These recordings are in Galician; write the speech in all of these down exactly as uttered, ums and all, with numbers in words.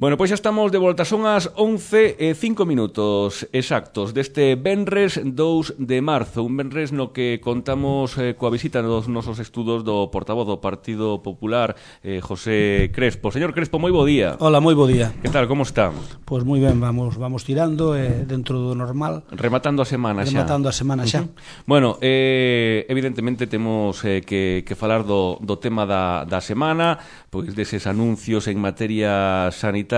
Bueno, pois xa estamos de volta, son as once e cinco minutos exactos deste venres dous de marzo, un venres no que contamos eh, coa visita dos nosos estudos do portavoz do Partido Popular, eh, José Crespo. Señor Crespo, moi bo día. Hola, moi bo día. Que tal, como está? Pois moi ben, vamos vamos tirando eh, dentro do normal. Rematando a semana xa. Rematando a semana xa. Uh-huh. Bueno, eh, evidentemente temos eh, que, que falar do, do tema da, da semana, pois deses anuncios en materia sanitaria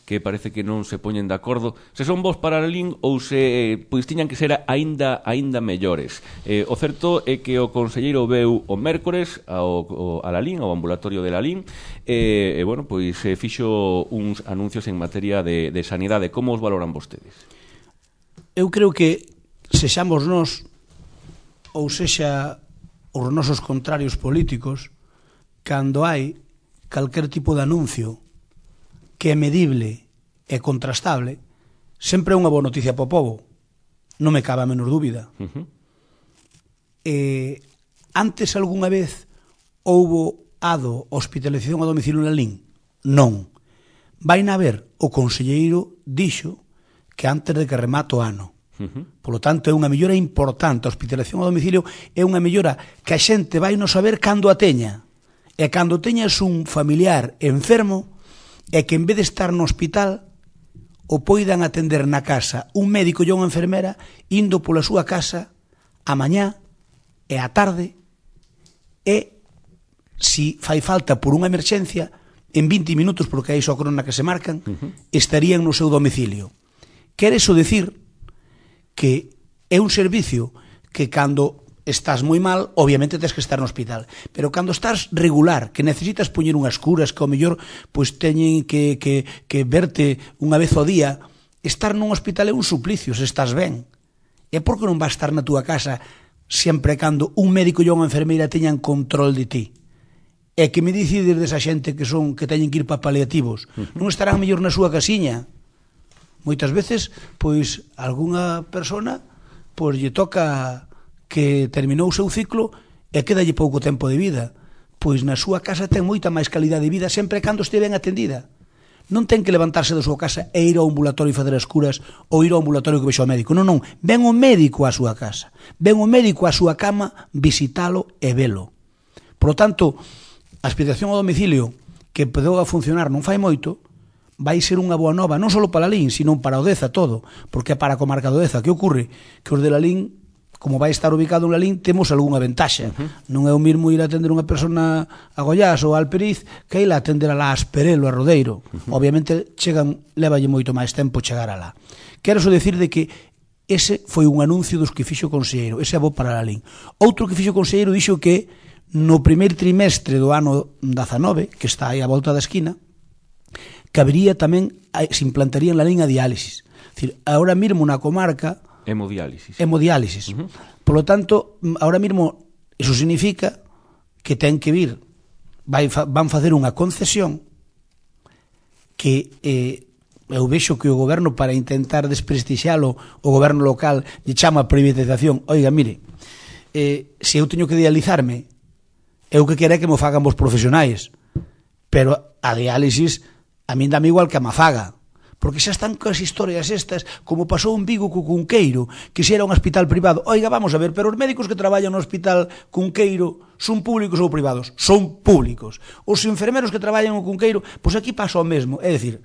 que parece que non se poñen de acordo se son vos para a Lalín ou se pois tiñan que ser aínda aínda mellores. Eh, o certo é que o conselleiro veu o mércores ao, ao, a Lalín, ao ambulatorio de Lalín, e, e bueno, pois eh, fixo uns anuncios en materia de, de sanidade. Como os valoran vostedes? Eu creo que sexamos nós ou sexa os nosos contrarios políticos, cando hai calquer tipo de anuncio que é medible e contrastable, sempre é unha boa noticia para o povo. Non me cabe a menor dúbida. Uh-huh. eh, antes algunha vez houbo ado hospitalización a domicilio en Lalín? Non. Vai na ver, o conselleiro dixo que antes de que remate o ano. Uh-huh. Polo tanto, é unha mellora importante. A hospitalización a domicilio é unha mellora que a xente vai non saber cando a teña. E cando teñas un familiar enfermo, é que en vez de estar no hospital o poidan atender na casa un médico e unha enfermera indo pola súa casa a mañá e a tarde e, si fai falta por unha emerxencia, en vinte minutos, porque hai só crona que se marcan, uh-huh. estarían no seu domicilio. Quere iso decir que é un servicio que cando estás moi mal, obviamente tens que estar no hospital, pero cando estás regular, que necesitas poñer unhas curas que ao mellor pois teñen que, que, que verte unha vez ao día, estar nun hospital é un suplicio se estás ben. E por que non vas estar na túa casa sempre cando un médico e unha enfermeira teñan control de ti? E que me decides desa xente que son que teñen que ir para paliativos, uh-huh. non estarán mellor na súa casiña? Moitas veces, pois, algunha persona pois lle toca que terminou o seu ciclo e quedalle pouco tempo de vida, pois na súa casa ten moita máis calidade de vida sempre cando este ben atendida. Non ten que levantarse da súa casa e ir ao ambulatorio e fazer as curas ou ir ao ambulatorio que vexe o médico. Non, non, ven o médico á súa casa, ven o médico á súa cama visitalo e velo. Por lo tanto, a hospitalización ao domicilio que empezou a funcionar non fai moito, vai ser unha boa nova, non só para Lalín, sino para o Deza todo, porque é para a comarca do Deza. Que ocorre? Que os de Lalín, como vai estar ubicado en Lalín, temos algunha ventaxa. Uh-huh. Non é o mismo ir a atender unha persona a Goiás ou a Alperiz que ir a atender a la Asperelo, a Rodeiro. Uh-huh. Obviamente, chegan, levalle moito máis tempo chegar a lá. Quero só decir de que ese foi un anuncio dos que fixo o conselleiro, ese é bo para Lalín. Outro que fixo o conselleiro dixo que no primeiro trimestre do ano dezanove, que está aí a volta da esquina, que habería tamén, se implantaría en Lalín a diálisis. É dicir, ahora mesmo na comarca hemodiálisis. Hemodiálisis. Uh-huh. Por lo tanto, ahora mismo, eso significa que ten que vir, vai, van facer unha concesión que eh, eu vexo que o goberno, para intentar desprestixialo, o goberno local lle chama privatización. Oiga, mire, eh, se eu teño que dializarme, eu que quero é que me fagan vos profesionais, pero a diálisis a min dame igual que a mafaga, porque xa están coas historias estas, como pasou en Vigo co Cunqueiro, que xa era un hospital privado. Oiga, vamos a ver, pero os médicos que traballan no hospital Cunqueiro son públicos ou privados? Son públicos. Os enfermeros que traballan no Cunqueiro, pois aquí pasa o mesmo. É dicir,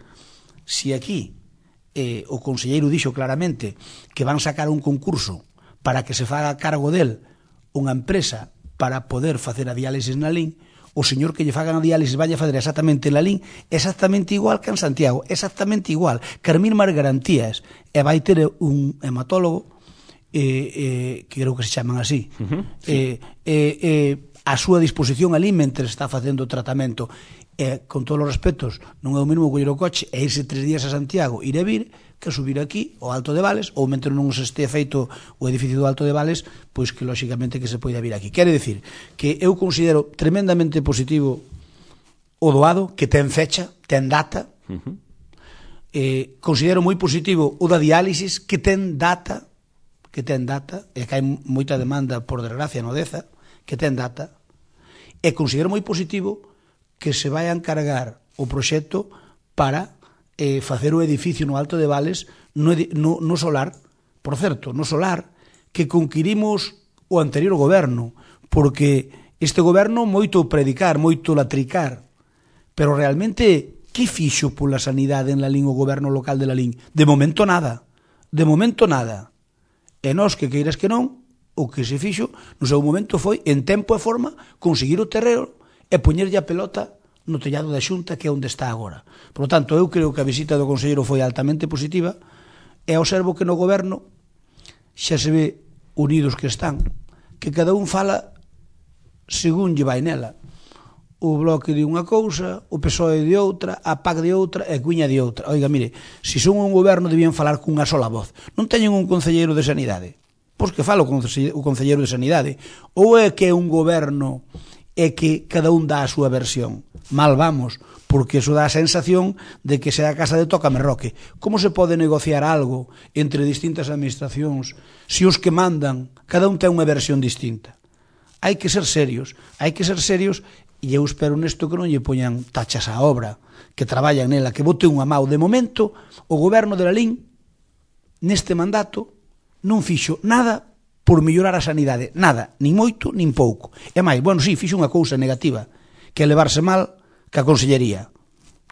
se aquí eh, o conselleiro dixo claramente que van sacar un concurso para que se faga cargo del unha empresa para poder facer a diálisis na Lalín, o señor que lle fagan a diálisis vai a fazer exactamente en Lalín, exactamente igual que en Santiago, exactamente igual, que as mesmas garantías, e vai ter un hematólogo eh, eh, que creo que se chaman así, uh-huh, sí. eh, eh, eh, a súa disposición ali mentre está facendo o tratamento. E, con todos os respetos, non é o mesmo coller o coche e irse tres días a Santiago, ir e vir, que subir aquí ao Alto de Vales, ou mentre non se este feito o edificio do Alto de Vales, pois que lóxicamente que se poida vir aquí. Quere decir que eu considero tremendamente positivo o doado, que ten fecha, ten data. Uh-huh. eh, considero moi positivo o da diálisis, que ten data, que ten data, e que hai moita demanda, por desgracia, no Deza, que ten data. E considero moi positivo que se vai a encargar o proxecto para eh, facer o edificio no Alto de Vales no, no, no solar, por certo, no solar, que conquirimos o anterior goberno, porque este goberno moito predicar, moito latricar, pero realmente que fixo pola sanidade en Lalín o goberno local de Lalín? De momento nada, de momento nada. E nós, que queiras que non, o que se fixo no seu momento foi, en tempo e forma, conseguir o terreo e poñerlle a pelota no tellado da Xunta, que é onde está agora. Por lo tanto, eu creo que a visita do conselleiro foi altamente positiva e observo que no goberno xa se ve unidos que están, que cada un fala según lle vai nela. O Bloque de unha cousa, o P S O E de outra, a P A C de outra e a Cuña de outra. Oiga, mire, se son un goberno debían falar cunha sola voz. Non teñen un concelleiro de Sanidade? Pois que fala o concelleiro de Sanidade. Ou é que é un goberno é que cada un dá a súa versión? Mal vamos, porque eso dá a sensación de que sea a casa de Tócame Roque. Como se pode negociar algo entre distintas administracións se os que mandan, cada un ten unha versión distinta? Hai que ser serios, hai que ser serios, e eu espero nesto que non lle poñan tachas á obra, que traballan nela, que bote unha mau. De momento, o goberno de Lalín, neste mandato, non fixo nada por mellorar a sanidade, nada, nin moito, nin pouco. E máis, bueno, sí, fixo unha cousa negativa, que é levarse mal ca consellería,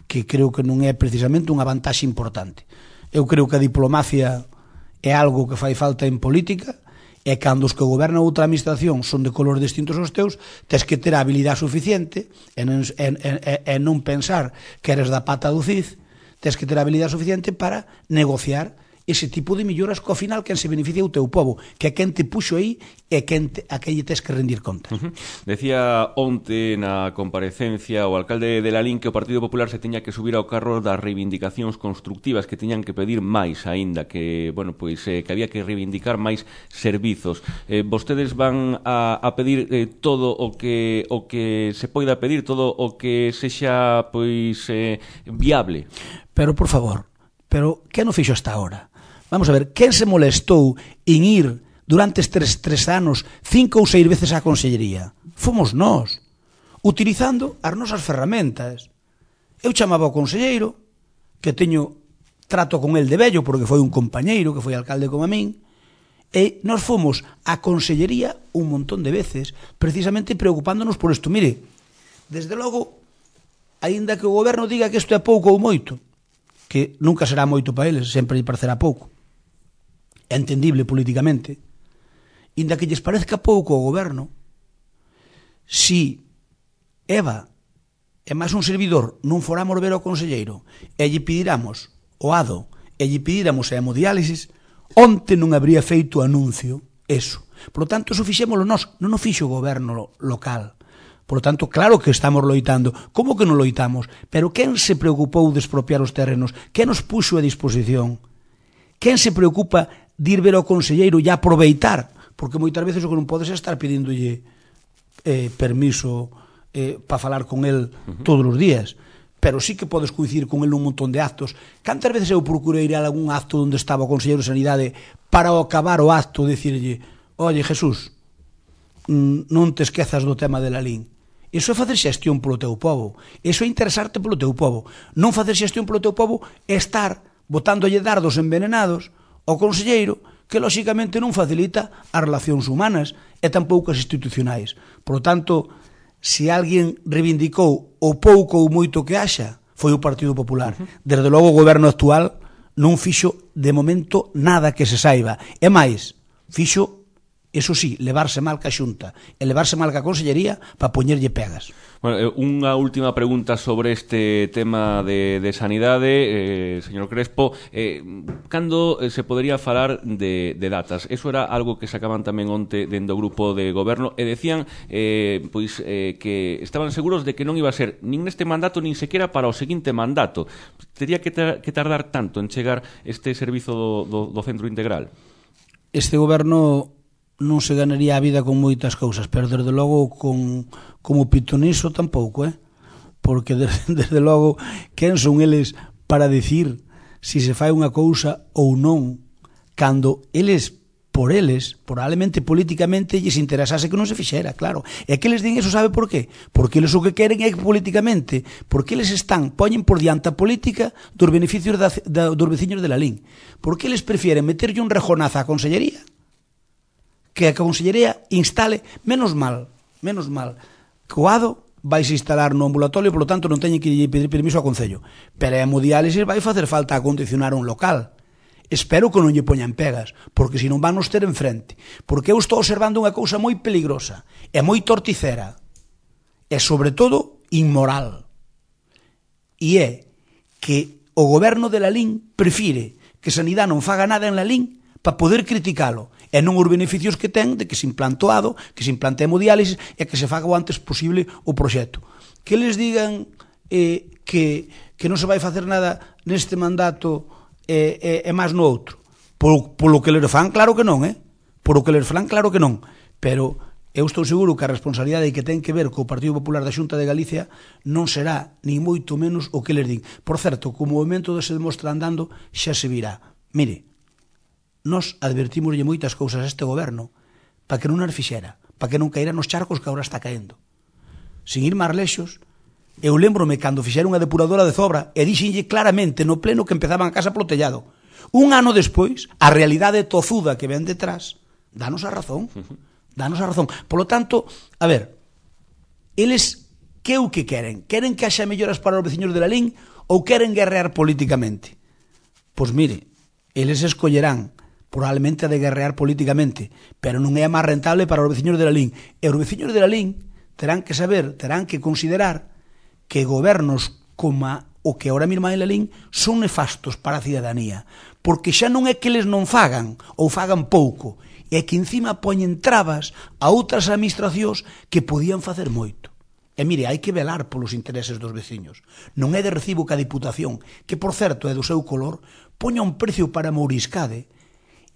que creo que non é precisamente unha vantaxe importante. Eu creo que a diplomacia é algo que fai falta en política, e cando os que gobernan outra administración son de colores distintos aos teus, tes que ter a habilidade suficiente e non, e, e, e non pensar que eres da pata do Cid, tes que ter a habilidade suficiente para negociar ese tipo de melloras que ao final quen se beneficia o teu povo, que é quen te puxo aí e quen te, a quen lle tes que rendir contas. Uh-huh. Decía onte na comparecencia o alcalde de Lalín que o Partido Popular se teña que subir ao carro das reivindicacións constructivas, que teñan que pedir máis aínda, que, bueno, pois eh, que había que reivindicar máis servizos. Eh, vostedes van a, a pedir eh, todo o que o que se poida pedir, todo o que sexa pois eh, viable. Pero por favor, pero que non fixo hasta ahora? Vamos a ver, quen se molestou en ir durante estes tres anos cinco ou seis veces á consellería? Fomos nós, utilizando as nosas ferramentas. Eu chamaba ao conselleiro, que teño trato con el de vello, porque foi un compañeiro que foi alcalde como a min, e nós fomos á consellería un montón de veces, precisamente preocupándonos por isto. Mire, desde logo, aínda que o goberno diga que isto é pouco ou moito, que nunca será moito para eles, sempre lle parecerá pouco, é entendible políticamente, inda que lles parezca pouco ao goberno, si Eva e máis un servidor non foramos ver ao conselleiro e lle pediramos o ADO e lle pediramos a hemodiálisis, onte non habría feito anuncio eso. Por lo tanto, eso fixémolo nós, non o fixo o goberno local. Por lo tanto, claro que estamos loitando. Como que non loitamos? Pero quen se preocupou de expropiar os terrenos? Quen nos puxo a disposición? Quen se preocupa de ir ver ao conselleiro e aproveitar? Porque moitas veces o que non podes é estar pedíndolle eh, permiso eh, para falar con el todos os días. Pero sí que podes coincidir con el nun montón de actos. Cantas veces eu procurei ir a algún acto onde estaba o conselleiro de Sanidade para ao acabar o acto dicirlle: oye, Jesús, non te esquezas do tema de Lalín. Iso é facer xestión polo teu povo. Iso é interesarte polo teu povo. Non facer xestión polo teu povo é estar botándolle dardos envenenados ao conselleiro, que lóxicamente non facilita as relacións humanas e tampouco as institucionais. Por lo tanto, se alguén reivindicou o pouco ou moito que haxa, foi o Partido Popular. Desde logo o goberno actual non fixo de momento nada que se saiba. E máis, fixo, eso sí, levarse mal ca Xunta e levarse mal ca Consellería para poñerlle pegas. Bueno, unha última pregunta sobre este tema de, de sanidade, eh, señor Crespo. Eh, cando se podería falar de, de datas? Eso era algo que sacaban tamén onte dentro do grupo de goberno e decían eh, pois eh, que estaban seguros de que non iba a ser nin neste mandato nin sequera para o seguinte mandato. Tería que, tar que tardar tanto en chegar este servizo do, do, do centro integral? Este goberno non se ganaría a vida con moitas cousas, pero desde logo con, como pitoniso tampouco, eh? Porque desde, desde logo quen son eles para decir si se fai unha cousa ou non, cando eles por eles, probablemente políticamente, lles interesase que non se fixera, claro. E que eles din eso, sabe por qué? Porque eles o que queren é que políticamente, porque eles están, poñen por diante a política dos beneficios da, da, dos veciños de Lalín. Porque eles prefieren meterlle un rejonazo á consellería, que a consellería instale, menos mal, menos mal, que o ADO vais a instalar no ambulatorio, polo tanto non teñen que pedir permiso ao Concello. Pero a hemodiálisis vai facer falta acondicionar un local. Espero que non lle poñan pegas, porque se non van nos ter enfrente. Porque eu estou observando unha cousa moi peligrosa, e moi torticera, e sobre todo inmoral. E é que o goberno de Lalín prefire que Sanidade non faga nada en Lalín para poder criticalo, e non os beneficios que ten de que se implante o ADO, que se implante a hemodiálisis e que se faga o antes posible o proxecto. Que les digan eh, que, que non se vai facer nada neste mandato e, e, e máis no outro. Por, polo que les fan, claro que non, eh? Por o que les fan, claro que non. Pero eu estou seguro que a responsabilidade que ten que ver co Partido Popular da Xunta de Galicia non será ni moito menos o que les din. Por certo, co movimento de se demostra andando xa se virá. Mire, nós advertimoslle moitas cousas a este goberno para que non as fixera, para que non caíra nos charcos que agora está caendo. Sin ir máis lexos, eu lembrome cando fixeron unha depuradora de Zobra e dixenlle claramente no pleno que empezaban a casa polo tellado. Un ano despois, a realidade tozuda que ven detrás, danos a razón. Danos a razón. Polo tanto, a ver, eles que o que queren? Queren que haxa melloras para os veciños de Lalín ou queren guerrear políticamente? Pois mire, eles escollerán probablemente a de guerrear políticamente, pero non é máis rentable para os veciños de Lalín. E os veciños de Lalín terán que saber, terán que considerar que gobernos como o que ahora mesmo hai en Lalín son nefastos para a cidadanía, porque xa non é que eles non fagan ou fagan pouco, é que encima poñen trabas a outras administracións que podían facer moito. E mire, hai que velar polos intereses dos veciños. Non é de recibo que a Diputación, que por certo é do seu color, poña un precio para Mouriscade,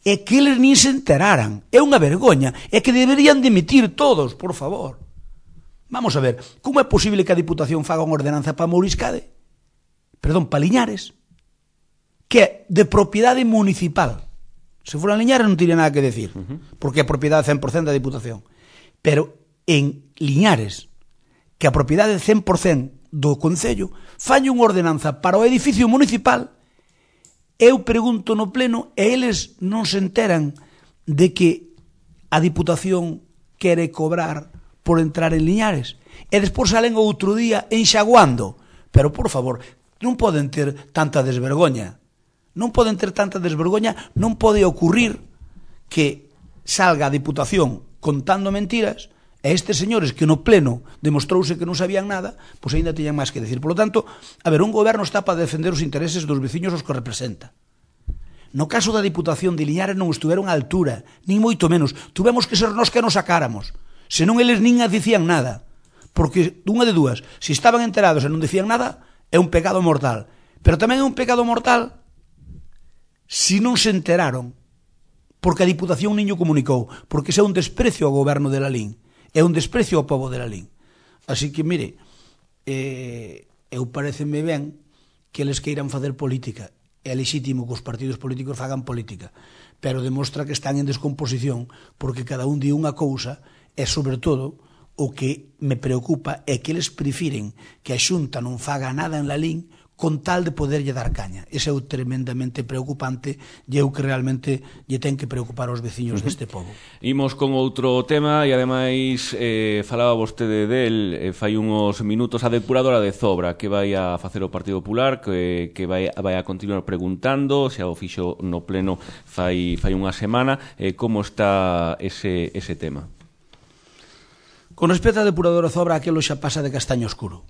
e que eles nin se enteraran. É unha vergoña, é que deberían dimitir todos, por favor. Vamos a ver, como é posible que a Diputación faga unha ordenanza para Mouriscade? Perdón, para Liñares, que é de propiedade municipal. Se fora en Liñares non tiría nada que decir, porque é propiedade cen por cento da Diputación. Pero en Liñares, que a propiedade cen por cento do Concello, falle unha ordenanza para o edificio municipal, eu pregunto no pleno, e eles non se enteran de que a Diputación quere cobrar por entrar en Liñares, e despois salen outro día enxaguando. Pero, por favor, non poden ter tanta desvergoña. Non poden ter tanta desvergoña, non pode ocurrir que salga a Diputación contando mentiras e estes señores que no pleno demostrouse que non sabían nada, pois ainda teñan máis que decir. Por lo tanto, a ver, un goberno está para defender os intereses dos veciños os que representa. No caso da Diputación de Liñares non estuveron á altura, nin moito menos. Tuvemos que ser nós que nos sacáramos. Senón eles nin dicían nada. Porque, dunha de dúas, se estaban enterados e non dicían nada, é un pecado mortal. Pero tamén é un pecado mortal se non se enteraron, porque a Diputación niño comunicou, porque ese é un desprecio ao goberno de Lalín, é un desprecio ao povo de Lalín. Así que, mire, eh, eu pareceme ben que eles queiran facer política. É legítimo que os partidos políticos fagan política, pero demostra que están en descomposición, porque cada un di unha cousa, e sobre todo o que me preocupa é que eles prefiren que a Xunta non faga nada en Lalín con tal de poderlle dar caña. Ese é o tremendamente preocupante e eu que realmente lle ten que preocupar aos veciños deste pobo. Imos con outro tema e ademais eh, falaba vostede del eh, fai uns minutos a depuradora de Zobra que vai a facer o Partido Popular, que, que vai, vai a continuar preguntando, xa o fixo no pleno fai, fai unha semana, eh, como está ese, ese tema? Con respecto á depuradora Zobra, aquilo xa pasa de castaño oscuro.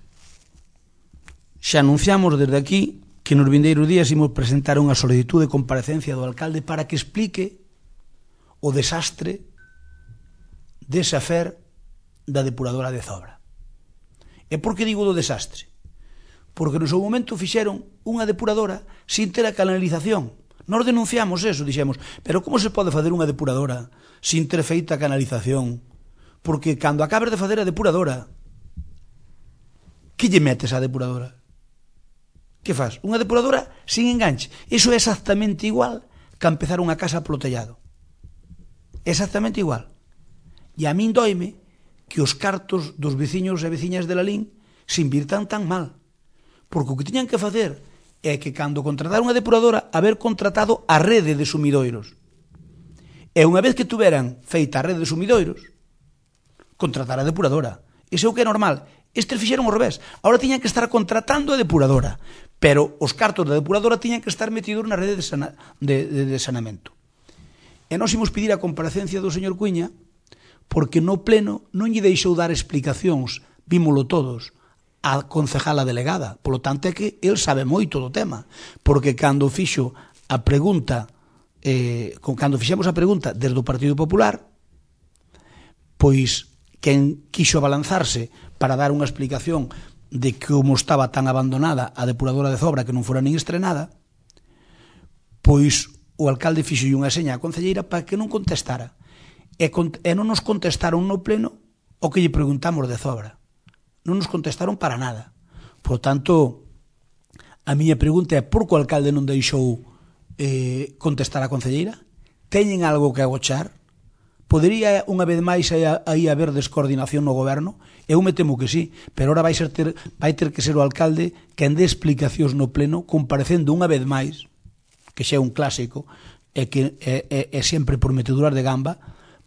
Xa anunciamos desde aquí que nos vindeiros días imos presentar unha solicitud de comparecencia do alcalde para que explique o desastre dese afer da depuradora de Zobra. E por que digo do desastre? Porque no seu momento fixeron unha depuradora sin ter a canalización. Nos denunciamos eso, dixemos, pero como se pode facer unha depuradora sin ter feita a canalización? Porque cando acabes de facer a depuradora, que lle metes á depuradora? Que faz? Unha depuradora sin enganche. Iso é exactamente igual que empezar unha casa polo tellado. exactamente igual. E a min doime que os cartos dos veciños e veciñas de Lalín se invirtan tan mal. Porque o que tiñan que facer é que cando contrataron a depuradora, haber contratado a rede de sumidoiros. E unha vez que tuveran feita a rede de sumidoiros, contratar a depuradora. Iso é o que é normal. Estes fixeron ao revés. Ahora tiñan que estar contratando a depuradora, pero os cartos da depuradora tiñan que estar metidos na rede de, sana, de, de, de sanamento. E nós imos pedir a comparecencia do señor Cuíña porque no pleno non lle deixou dar explicacións, vímolo todos, a concejala delegada. Polo tanto é que el sabe moito do tema, porque cando fixo a pregunta, eh, cando fixemos a pregunta desde o Partido Popular, pois quen quixo abalanzarse para dar unha explicación de como estaba tan abandonada a depuradora de Zobra que non fora nin estrenada, pois o alcalde fixo unha seña á concelleira para que non contestara. E, e non nos contestaron no pleno o que lle preguntamos de Zobra. Non nos contestaron para nada. Por tanto, a miña pregunta é por que o alcalde non deixou eh, contestar a concelleira? Teñen algo que agochar? Podería unha vez máis aí haber descoordinación no goberno? Eu me temo que sí, pero ahora vai, ser ter, vai ter que ser o alcalde quen dé explicacións no pleno, comparecendo unha vez máis, que xa é un clásico, e que é, é, é sempre por meteduras de gamba,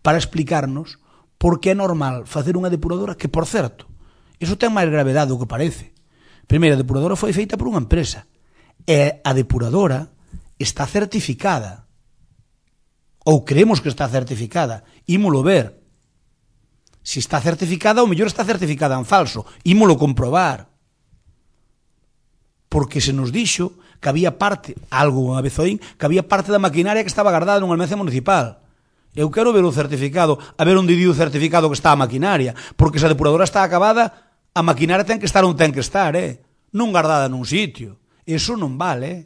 para explicarnos por que é normal facer unha depuradora que, por certo, iso ten máis gravedade do que parece. Primeiro, a depuradora foi feita por unha empresa e a depuradora está certificada, ou creemos que está certificada, ímolo ver. Se está certificada, ou mellor está certificada en falso, ímolo comprobar. Porque se nos dixo que había parte, algo unha vez oín, que había parte da maquinaria que estaba guardada nun almacén municipal. Eu quero ver o certificado, a ver onde di o certificado que está a maquinaria, porque se a depuradora está acabada, a maquinaria ten que estar onde ten que estar, eh? Non guardada nun sitio. Eso non vale, eh?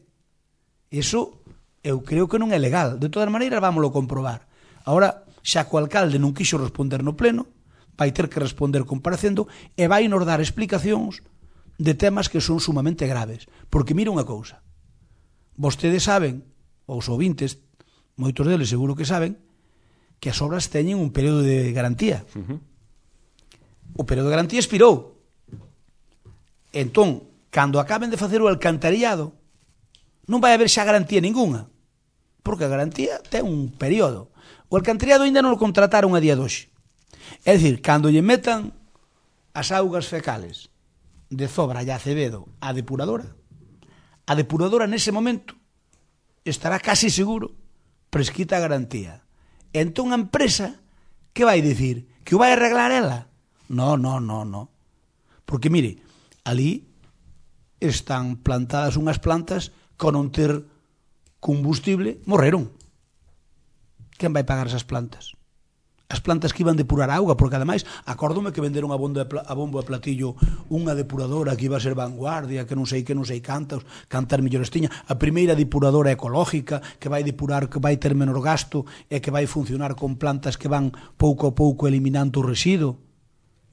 Eso eu creo que non é legal. De todas maneiras, vámoslo comprobar. Ahora, xa que o alcalde non quixo responder no pleno, vai ter que responder comparecendo e vai nos dar explicacións de temas que son sumamente graves. Porque mira unha cousa, vostedes saben, ou os ouvintes, moitos deles seguro que saben, que as obras teñen un período de garantía. Uh-huh. O período de garantía expirou. Entón, cando acaben de facer o alcantarillado, non vai haber xa garantía ninguna, porque a garantía ten un período. O alcantarillado ainda non o contrataron a día de hoxe. É dicir, cando lle metan as augas fecales de Zobra e Acevedo á depuradora, a depuradora nese momento estará casi seguro prescrita a garantía. Entón a empresa, que vai dicir? Que o vai arreglar ela? No, no, no, no. Porque, mire, ali están plantadas unhas plantas con non ter combustible, morreron. Quen vai pagar esas plantas? As plantas que iban depurar a auga, porque ademais, acórdome que venderon a bombo de, a bombo de platillo unha depuradora que iba a ser vanguardia, que non sei que non sei cantos, cantar millores tiña, a primeira depuradora ecológica, que vai depurar, que vai ter menor gasto e que vai funcionar con plantas que van pouco a pouco eliminando o residuo.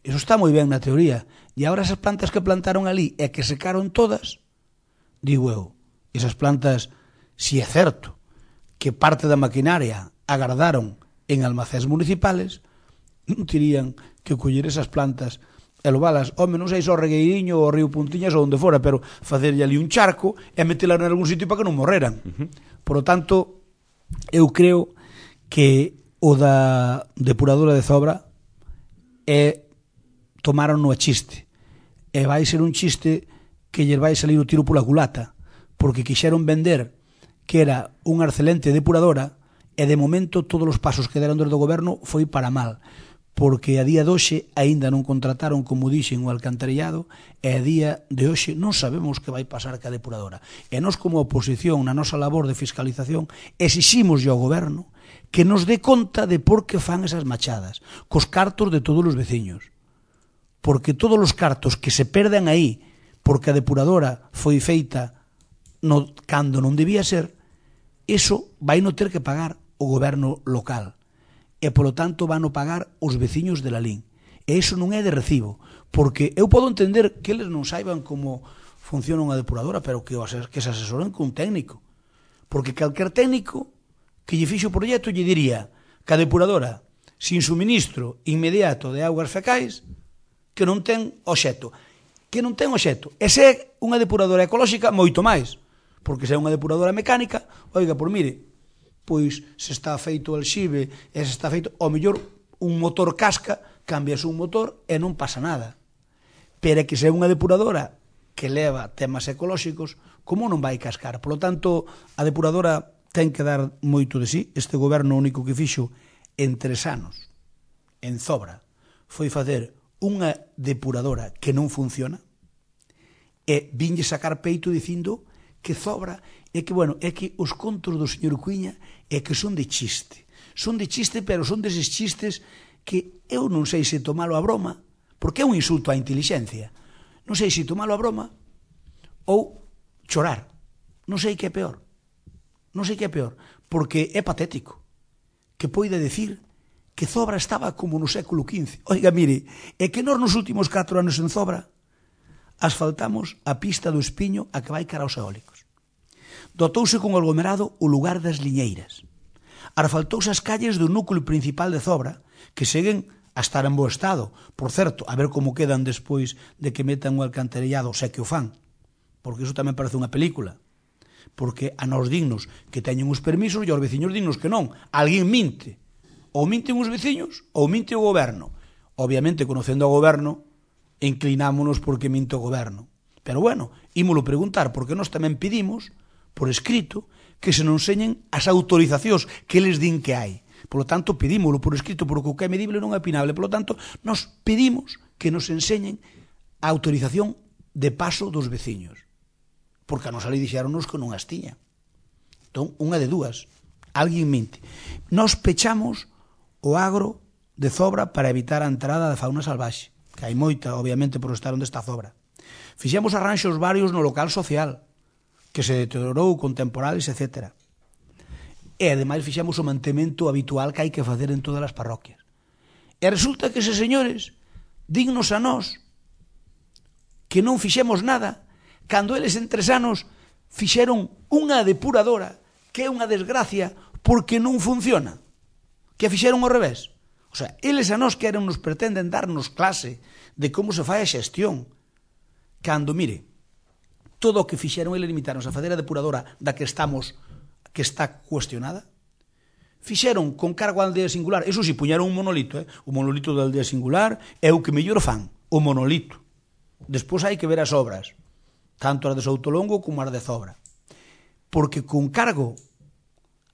Eso está moi ben na teoría. E agora esas plantas que plantaron ali e que secaron todas, digo eu, esas plantas, si é certo que parte da maquinaria agardaron en almacéns municipales, non terían que coller esas plantas e levalas, home, non sei só Regueiriño ou Río Puntiñas ou onde fora, pero facerlle ali un charco e metelas en algún sitio para que non morreran. Uh-huh. Por lo tanto, eu creo que o da depuradora de Zobra é tomaron no a chiste, e vai ser un chiste que lle vai salir o tiro pola culata, porque quixeron vender que era unha excelente depuradora e de momento todos os pasos que deron desde o goberno foi para mal, porque a día de hoxe aínda non contrataron, como dixen, o alcantarillado, e a día de hoxe non sabemos que vai pasar ca depuradora. E nós, como oposición, na nosa labor de fiscalización, exiximos ao goberno que nos dé conta de por que fan esas machadas, cos cartos de todos os veciños. Porque todos os cartos que se perden aí, porque a depuradora foi feita no, cando non debía ser, eso vai non ter que pagar o goberno local. E, polo tanto, van a pagar os veciños de Lalín. E iso non é de recibo, porque eu podo entender que eles non saiban como funciona unha depuradora, pero que, que se asesoren con un técnico. Porque calquer técnico que lle fixo o proxecto lle diría, que a depuradora sin suministro inmediato de augas fecais que non ten obxecto. Que non ten obxecto. E se é unha depuradora ecolóxica, moito máis. Porque se é unha depuradora mecánica, oiga, por mire, pois se está feito o alxibe e se está feito, ao mellor un motor casca, cambias un motor e non pasa nada. Pero é que se é unha depuradora que leva temas ecolóxicos, como non vai cascar? Por lo tanto, a depuradora ten que dar moito de sí. Este goberno único que fixo en tres anos, en Zobra, foi facer unha depuradora que non funciona e vinlle sacar peito dicindo que Zobra é que, bueno, é que os contos do señor Cuiña é que son de chiste. Son de chiste, pero son deses chistes que eu non sei se tomalo a broma, porque é un insulto á intelixencia. Non sei se tomalo a broma ou chorar. Non sei que é peor. Non sei que é peor, porque é patético que poida decir que Zobra estaba como no século quince. Oiga, mire, é que nós nos últimos catro anos en Zobra asfaltamos a pista do Espiño a que vai cara aos eólicos. Dotouse con aglomerado o lugar das liñeiras. Asfaltouse as calles do núcleo principal de Zobra, que seguen a estar en bo estado. Por certo, a ver como quedan despois de que metan o alcantarillado, se que o fan. Porque iso tamén parece unha película. Porque a nós dignos que teñen os permisos e aos veciños dignos que non. Alguén minte. Ou minten os veciños ou minte o goberno. Obviamente, conocendo o goberno, inclinámonos porque minte o goberno. Pero bueno, ímolo preguntar, porque nós tamén pedimos, por escrito, que se non enseñen as autorizacións que eles din que hai. Por lo tanto, pedímolo por escrito, porque o que é medible non é opinable. Por lo tanto, nós pedimos que nos enseñen a autorización de paso dos veciños. Porque a nosa lei dixeronnos que non as tiña. Entón, unha de dúas. Alguén minte. Nós pechamos o agro de Zobra para evitar a entrada da fauna salvaxe, que hai moita, obviamente, por estar onde está Zobra. Fixemos arranxos varios no local social, que se deteriorou con temporales, etcétera. E, ademais, fixemos o mantemento habitual que hai que facer en todas as parroquias. E resulta que eses señores, dignos a nós, que non fixemos nada, cando eles en tres anos fixeron unha depuradora, que é unha desgracia, porque non funciona. Que fixeron ao revés. O sea, eles a nós queren nos pretenden darnos clase de como se fai a xestión. Cando, mire, todo o que fixeron eles limitaron a fazer a depuradora da que estamos, que está cuestionada. Fixeron con cargo á aldea singular. Eso si, puñeron un monolito, eh? O monolito da aldea singular é o que mellor fan, o monolito. Despois hai que ver as obras, tanto as de Soutolongo como as de Zobra. Porque con cargo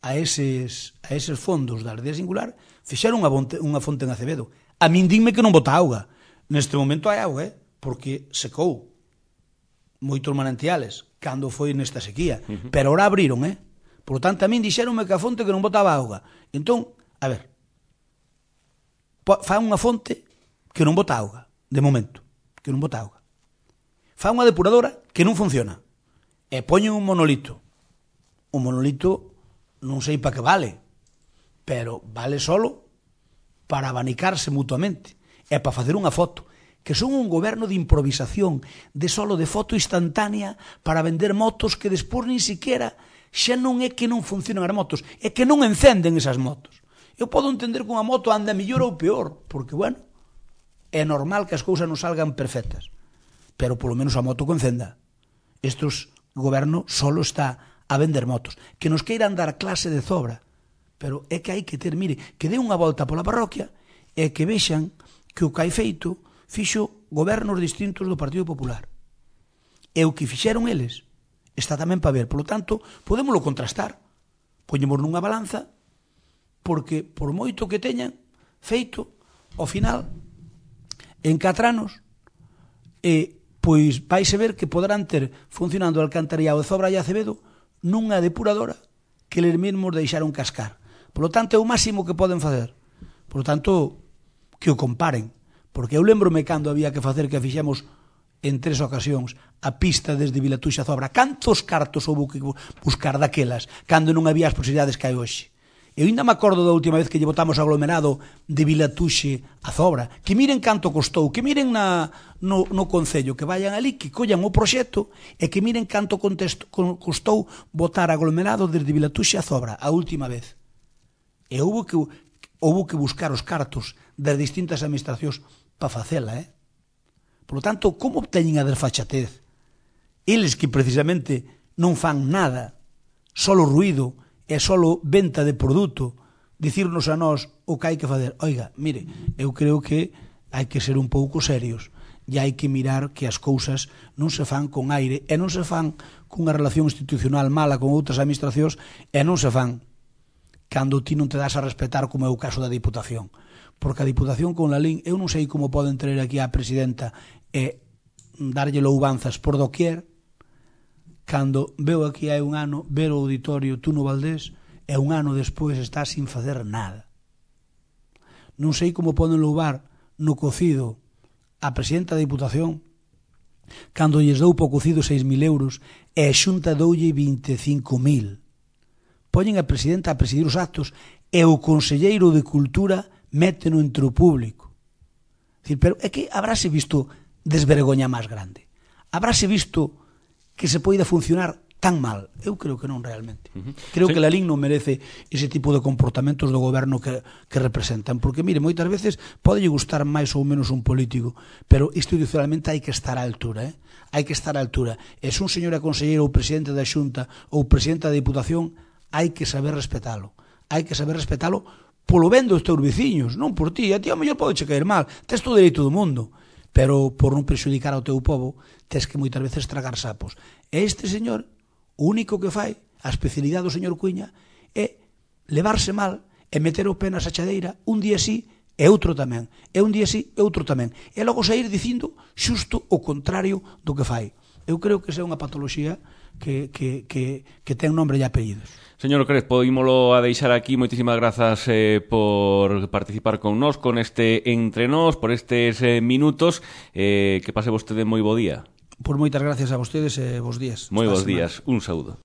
a eses, a eses fondos da aldea singular, fixeron unha, bonte, unha fonte en Acevedo. A min dime que non bota auga. Neste momento hai auga, eh? Porque secou moitos manantiales cando foi nesta sequía. Uh-huh. Pero ahora abriron, eh? Por tanto, a min dixeronme que a fonte que non botaba auga. Entón, a ver, fa unha fonte que non bota auga, de momento, que non bota auga. Fa unha depuradora que non funciona. E poñen un monolito. O monolito non sei para que vale, pero vale solo para abanicarse mutuamente e para facer unha foto, que son un goberno de improvisación, de solo de foto instantánea para vender motos que despois nin siquiera xa non é que non funcionan as motos, é que non encenden esas motos. Eu podo entender que unha moto anda mellor ou peor, porque, bueno, é normal que as cousas non salgan perfectas, pero polo menos a moto que encenda. Estos goberno solo está a vender motos, que nos queiran dar clase de Zobra, pero é que hai que ter, mire, que dé unha volta pola parroquia e que vexan que o que hai feito fixo gobernos distintos do Partido Popular. E o que fixeron eles está tamén para ver. Por lo tanto, podémoslo contrastar. Poñemos nunha balanza, porque por moito que teñan feito, ao final, en catro anos, e, pois vais a ver que poderán ter funcionando o alcantarillado de Zobra e Acevedo nunha depuradora que eles mesmos deixaron cascar. Por lo tanto, é o máximo que poden facer. Por lo tanto, que o comparen. Porque eu lembrome cando había que facer que fixemos en tres ocasións a pista desde Vilatuxe a Zobra. Cantos cartos houve que buscar daquelas cando non había as posibilidades que hai hoxe? Eu ainda me acordo da última vez que lle botamos aglomerado de Vilatuxe a Zobra. Que miren canto costou, que miren na, no, no Concello, que vayan ali, que collan o proxecto e que miren canto contesto, costou botar aglomerado desde Vilatuxe a Zobra a última vez. E houve que, houve que buscar os cartos das distintas administracións para facela, eh? Por lo tanto, como obteñen a desfachatez? Eles que precisamente non fan nada, solo ruído e solo venta de produto, dicirnos a nós o que hai que fazer. Oiga, mire, eu creo que hai que ser un pouco serios e hai que mirar que as cousas non se fan con aire e non se fan cunha relación institucional mala con outras administracións e non se fan cando ti non te das a respetar, como é o caso da Diputación. Porque a Diputación con Lalín, eu non sei como poden traer aquí a presidenta e darlle loubanzas por doquier, cando veo aquí hai un ano ver o auditorio Tuno Valdés e un ano despois está sin facer nada. Non sei como poden louvar no cocido a presidenta da Diputación cando lles dou po cocido seis mil euros e a Xunta doulle vinte e cinco mil. Poñen a presidenta a presidir os actos e o conselleiro de Cultura méteno entre o público. Dicir, pero é que habráse visto desvergoña máis grande? Habráse visto que se poida funcionar tan mal? Eu creo que non realmente. Uh-huh. Creo sí. que Lalín non merece ese tipo de comportamentos do goberno que, que representan. Porque, mire, moitas veces pode gustar máis ou menos un político, pero institucionalmente hai que estar á altura, eh? Hai que estar á altura. E se un señor é conselleiro ou presidente da Xunta ou presidente da Diputación, hai que saber respetalo. Hai que saber respetalo polo ben dos teus veciños, non por ti. A ti ao mellor pode che caer mal, tes todo o dereito do mundo, pero por non prexudicar ao teu povo, tes que moitas veces tragar sapos. E este señor, o único que fai, a especialidade do señor Cuíña, é levarse mal e meter o pé na sachadeira un día sí e outro tamén, e un día sí e outro tamén, e logo sair dicindo xusto o contrario do que fai. Eu creo que esa é unha patoloxía que, que, que, que ten nombre e apellidos. Señor Crespo, ímolo a deixar aquí. Moitísimas grazas eh, por participar con nós, con este Entre Nós, por estes eh, minutos. Eh, que pase vostede moi bo día. Por moitas gracias a vostedes e bos días. Moi bos días. Un saúdo.